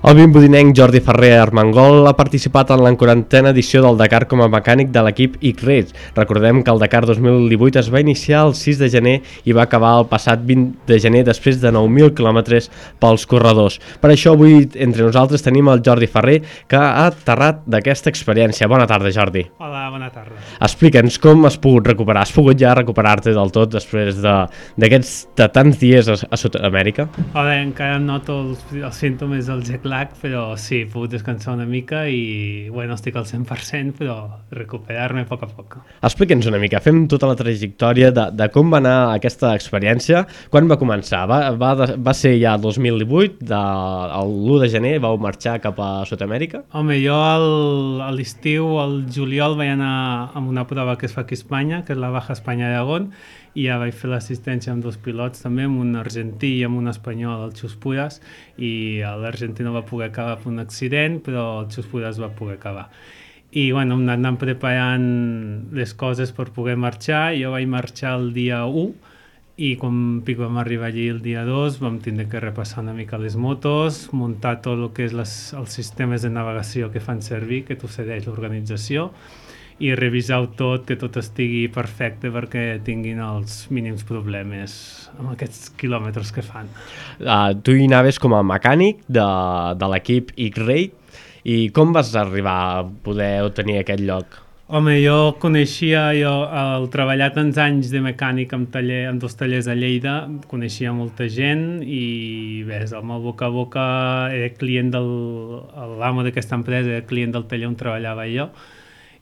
El vimbodinenc Jordi Ferrer Armengol ha participat en la 40a edició del Dakar com a mecànic de l'equip X-Race. Recordem que el Dakar 2018 es va iniciar el 6 de gener i va acabar el passat 20 de gener després de 9.000 quilòmetres pels corredors. Per això avui entre nosaltres tenim el Jordi Ferrer, que ha aterrat d'aquesta experiència. Bona tarda, Jordi. Hola, bona tarda. Explica'ns com has pogut recuperar. Has pogut ja recuperar-te del tot després de tants dies a Sud-amèrica? Hola, encara noto els símptomes del jet lag, però sí, he pogut descansar una mica i bueno, estic al 100%, però recuperar-me a poc a poc. Explica'ns una mica, fem tota la trajectòria de com va anar aquesta experiència, quan va començar? Va ser ja el 2018, l'1 de gener vau marxar cap a Sud-amèrica? Home, jo a l'estiu, al juliol, vaig anar amb una prova que es fa aquí a Espanya, que és la Baja Espanya-Aragón, i ja vaig fer l'assistència amb dos pilots també, amb un argentí i amb un espanyol, el Xus Puras, i l'argentí no va poder acabar per un accident, però el Xus Puras va poder acabar. I bueno, hem anat preparant les coses per poder marxar. Jo vaig marxar el dia 1 i quan vam arribar allí el dia 2 vam tindre que repassar una mica les motos, muntar tot el que és els sistemes de navegació que fan servir, que t'ho cedeix l'organització, i revisar tot, que tot estigui perfecte perquè tinguin els mínims problemes amb aquests quilòmetres que fan. Tu hi anaves com a mecànic de l'equip X-Race, i com vas arribar a poder obtenir aquest lloc? Home, jo coneixia, al treballar tants anys de mecànic amb dos tallers a Lleida, coneixia molta gent i ves, amb el boca a boca era client l'amo d'aquesta empresa, era client del taller on treballava jo,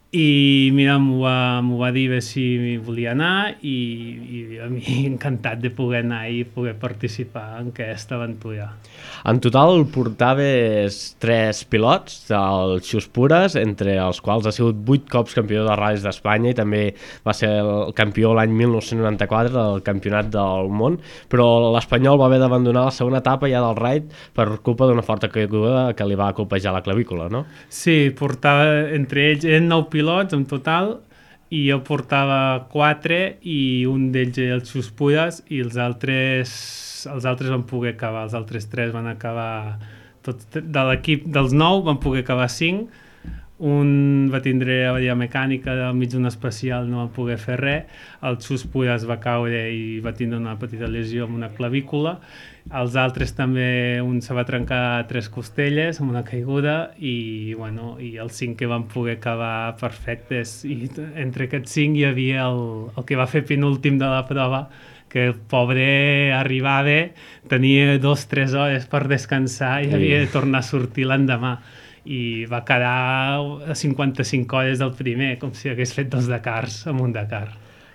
i mira, m'ho va dir si volia anar i a mi encantat de poder anar i poder participar en aquesta aventura. En total portaves 3 pilots del Xus Puras, entre els quals ha sigut 8 cops campió de ral·lis d'Espanya i també va ser el campió l'any 1994 del Campionat del Món, però l'Espanyol va haver d'abandonar la segona etapa ja del raid per culpa d'una forta caiguda que li va colpejar la clavícula, no? Sí, portava entre ells, eren 9 pilots en total, i jo portava 4 i un d'ells era el Xus Puras i els altres van poder acabar, els altres 3 van acabar, de l'equip dels 9 van poder acabar 5, un va tindre avaria mecànica al mig d'un especial, no va poder fer res, el Xus Puras va caure i va tindre una petita lesió amb una clavícula, els altres també, un se va trencar 3 costelles amb una caiguda i els 5 que van poder acabar perfectes, i entre aquests 5 hi havia el que va fer penúltim de la prova, que el pobre arribava, tenia 2-3 hores per descansar i havia de tornar a sortir l'endemà i va quedar a 55 hores del primer, com si hagués fet 2 Dakars amb un Dakar.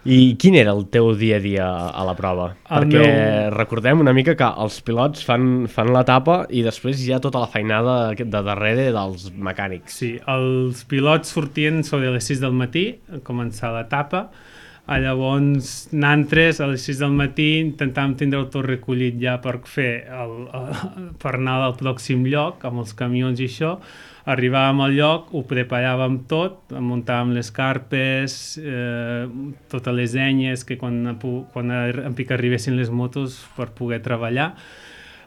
I quin era el teu dia a dia a la prova? Perquè recordem una mica que els pilots fan l'etapa i després hi ha tota la feinada de darrere dels mecànics. Sí, els pilots sortien sobre les 6 del matí a començar l'etapa. Llavors, nosaltres a les 6 del matí intentàvem tindre tot recollit ja per anar al pròxim lloc amb els camions i això. Arribàvem al lloc, ho preparàvem tot, muntàvem les carpes, totes les enyes que quan en pic arribessin les motos per poder treballar.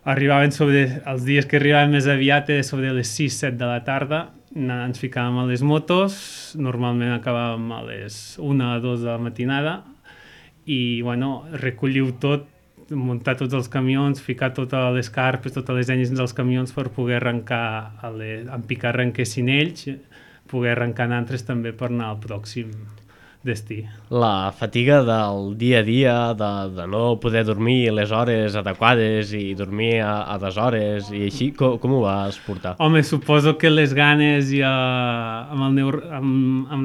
Els dies que arribaven més aviat era sobre les 6-7 de la tarda, ens ficàvem a les motos, normalment acabàvem a les 1 o 2 de la matinada i recolliu tot, muntar tots els camions, ficar totes les carpes, totes les enyes dels camions per poder arrencar, en picar arrenquessin ells, poder arrencar nosaltres també per anar al pròxim destí. La fatiga del dia a dia, de no poder dormir les hores adequades i dormir a deshores i així, com ho vas portar? Home, suposo que les ganes i amb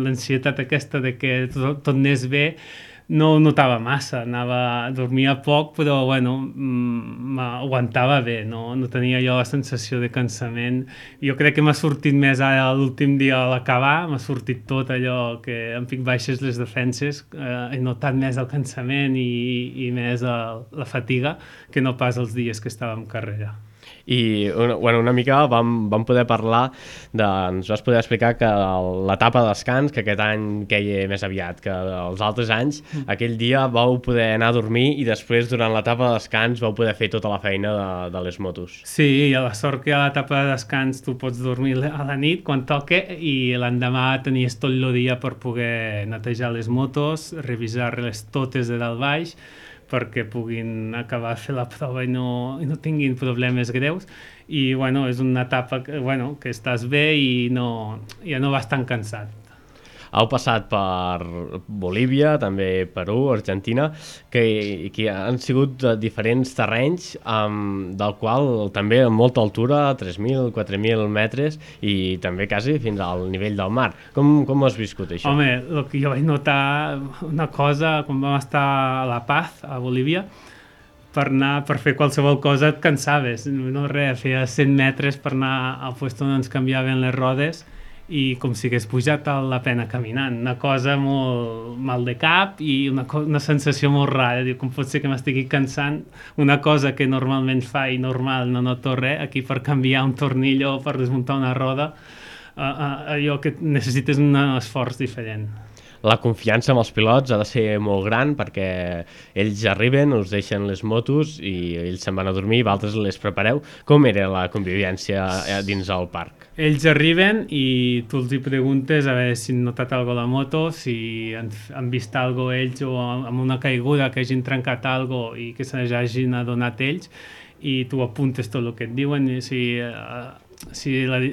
l'ansietat aquesta de que tot anés bé, no ho notava massa, dormia poc, però m'aguantava bé, no tenia jo la sensació de cansament. Jo crec que m'ha sortit més ara l'últim dia a l'acabar, m'ha sortit tot allò que em pic baixes les defenses, he notat més el cansament i més la fatiga que no pas els dies que estava en carrera. I una mica vam poder parlar ens vas poder explicar que l'etapa de descans, que aquest any queia més aviat que els altres anys, aquell dia vau poder anar a dormir i després durant l'etapa de descans vau poder fer tota la feina de les motos. Sí, i a la sort que a l'etapa de descans tu pots dormir a la nit quan toque i l'endemà tenies tot el dia per poder netejar les motos, revisar-les totes de dalt baix perquè puguin acabar de fer la prova i no tinguin problemes greus. I bueno, és una etapa que estàs bé i ja no vas tan cansat. Heu passat per Bolívia, també Perú, Argentina, que han sigut diferents terrenys, del qual també amb molta altura, 3.000, 4.000 metres, i també quasi fins al nivell del mar. Com ho has viscut, això? Home, el que jo vaig notar una cosa, quan vam estar a La Paz, a Bolívia, per fer qualsevol cosa et cansaves. No res, feia 100 metres per anar al lloc on ens canviaven les rodes i com si hagués pujat a la pena caminant. Una cosa molt mal de cap i una sensació molt rara. Diu, com pot ser que m'estigui cansant una cosa que normalment fa i normal no noto res, aquí per canviar un tornillo o per desmuntar una roda, allò que necessites un esforç diferent. La confiança amb els pilots ha de ser molt gran perquè ells arriben, us deixen les motos i ells se'n van a dormir i vosaltres les prepareu. Com era la convivència dins el parc? Ells arriben i tu els hi preguntes a veure si han notat alguna cosa a la moto, si han vist alguna cosa ells o amb una caiguda que hagin trencat alguna cosa i que se n'hagin adonat ells, i tu apuntes tot el que et diuen, i si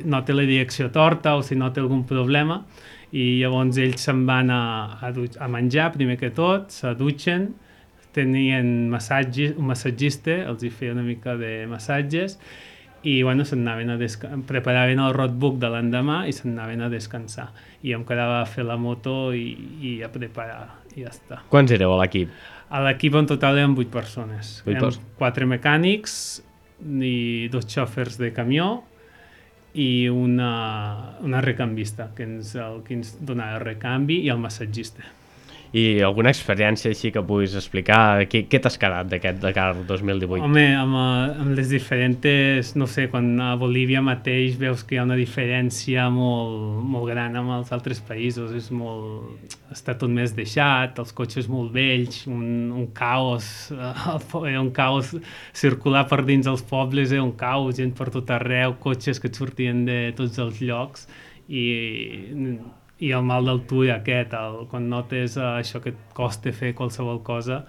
nota la direcció torta o si nota algun problema, i llavors ells se'n van a menjar primer que tot, se dutxen, tenien un massatgista, els hi feia una mica de massatges i bueno, preparaven el roadbook de l'endemà i se'n anaven a descansar. I em quedava a fer la moto i a preparar i ja està. Quants éreu a l'equip? A l'equip en total eren 8 persones. 4 mecànics i 2 xòfers de camió i una recambista que ens donava el recanvi i el massatgista. I alguna experiència així que puguis explicar? Què t'has quedat d'aquest Dakar 2018? Home, amb les diferents, no sé, quan a Bolívia mateix veus que hi ha una diferència molt gran amb els altres països, està tot més deixat, els cotxes molt vells, un caos circular per dins els pobles, un caos, gent per tot arreu, cotxes que et sortien de tots els llocs i el mal d'altura aquest, quan notes això que et costa fer qualsevol cosa,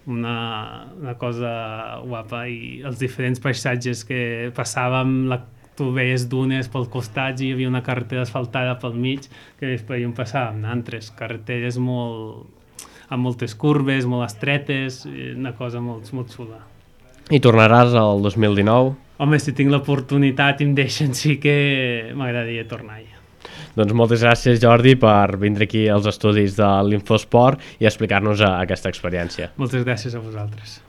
una cosa guapa, i els diferents paisatges que passàvem, tu veies dunes pel costat i hi havia una carretera asfaltada pel mig, que després on passàvem altres carreteres amb moltes curves, molt estretes, una cosa molt xula. I tornaràs al 2019? Home, si tinc l'oportunitat i em deixen, sí que m'agradaria tornar-hi. Doncs moltes gràcies, Jordi, per vindre aquí als estudis de l'Infosport i explicar-nos aquesta experiència. Moltes gràcies a vosaltres.